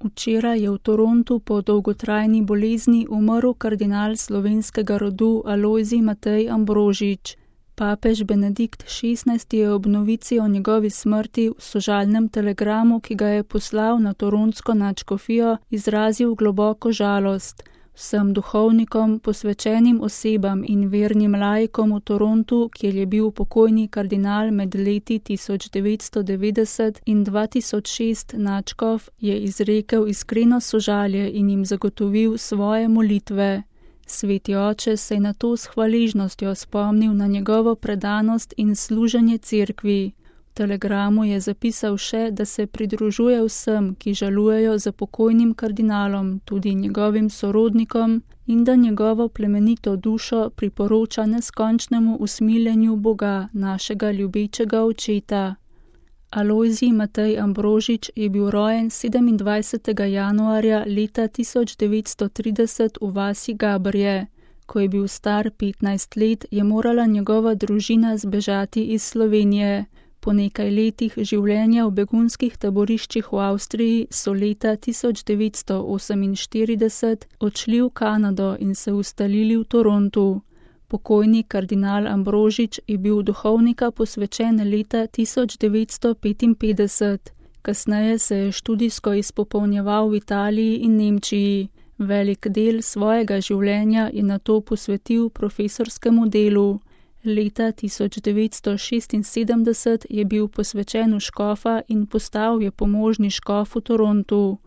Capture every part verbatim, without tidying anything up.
Včeraj je v Torontu po dolgotrajni bolezni umrl kardinal slovenskega rodu Alojzij Matej Ambrožič. Papež Benedikt šestnajsti je ob novici o njegovi smrti v sožalnem telegramu, ki ga je poslal na torontsko nadškofijo, izrazil globoko žalost. Vsem duhovnikom, posvečenim osebam in vernim laikom v Torontu, kjer je bil pokojni kardinal med leti tisoč devetsto devetdeset in dva tisoč šest nadškof, je izrekel iskreno sožalje in jim zagotovil svoje molitve. Sveti oče se je nato s hvaležnostjo spomnil na njegovo predanost in služenje cerkvi. V telegramu je zapisal še, da se pridružuje vsem, ki žalujejo za pokojnim kardinalom, tudi njegovim sorodnikom, in da njegovo plemenito dušo priporoča neskončnemu usmiljenju Boga, našega ljubečega očeta. Alojzij Matej Ambrožič je bil rojen sedemindvajsetega januarja leta tisoč devetsto trideset v vasi Gabrje. Ko je bil star petnajst let, je morala njegova družina zbežati iz Slovenije. Po nekaj letih življenja v begunskih taboriščih v Avstriji so leta tisoč devetsto oseminštirideset odšli v Kanado in se ustalili v Torontu. Pokojni kardinal Ambrožič je bil duhovnika posvečen leta tisoč devetsto petinpetdeset. Kasneje se je študijsko izpopolnjeval v Italiji in Nemčiji. Velik del svojega življenja je nato posvetil profesorskemu delu. Leta tisoč devetsto šestinsedemdeset je bil posvečen v škofa in postal je pomožni škof v Torontu.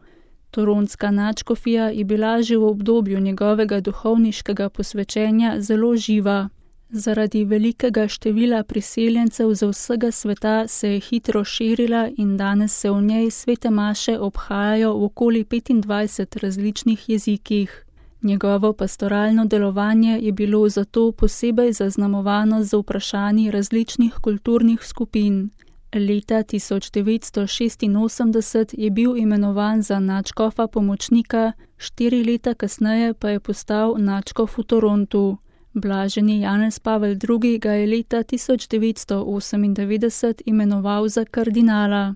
Torontska nadškofija je bila že v obdobju njegovega duhovniškega posvečenja zelo živa. Zaradi velikega števila priseljencev z vsega sveta se je hitro širila in danes se v njej svete maše obhajajo v okoli petindvajset različnih jezikih. Njegovo pastoralno delovanje je bilo zato posebej zaznamovano z vprašanji različnih kulturnih skupin. Leta tisoč devetsto šestinosemdeset je bil imenovan za nadškofa pomočnika, štiri leta kasneje pa je postal nadškof v Torontu. Blaženi Janez Pavel drugi. ga je leta tisoč devetsto osemindevetdeset imenoval za kardinala.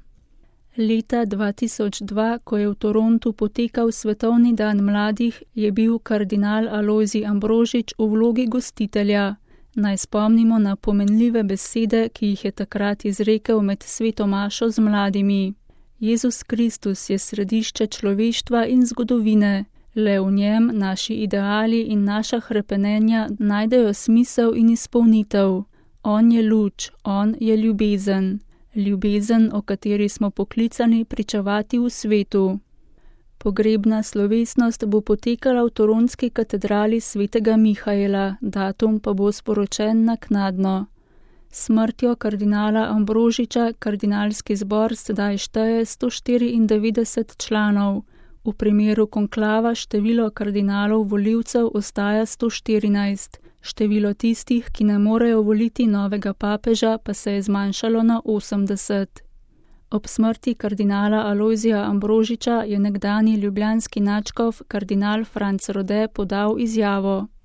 Leta dva tisoč dva, ko je v Torontu potekal Svetovni dan mladih, je bil kardinal Alojzij Ambrožič v vlogi gostitelja. Naj spomnimo na pomenljive besede, ki jih je takrat izrekel med sveto mašo z mladimi. Jezus Kristus je središče človeštva in zgodovine. Le v njem naši ideali in naša hrepenenja najdejo smisel in izpolnitev. On je luč, on je ljubezen. Ljubezen, o kateri smo poklicani pričevati v svetu. Pogrebna slovesnost bo potekala v torontski katedrali svetega Mihaela, datum pa bo sporočen naknadno. Smrtjo kardinala Ambrožiča kardinalski zbor sedaj šteje sto štiriindevetdeset članov. V primeru konklava število kardinalov volivcev ostaja sto štirinajst. Število tistih, ki ne morejo voliti novega papeža, pa se je zmanjšalo na osemdeset. Ob smrti kardinala Alojzija Ambrožiča je nekdanji ljubljanski nadškof kardinal Franc Rode podal izjavo.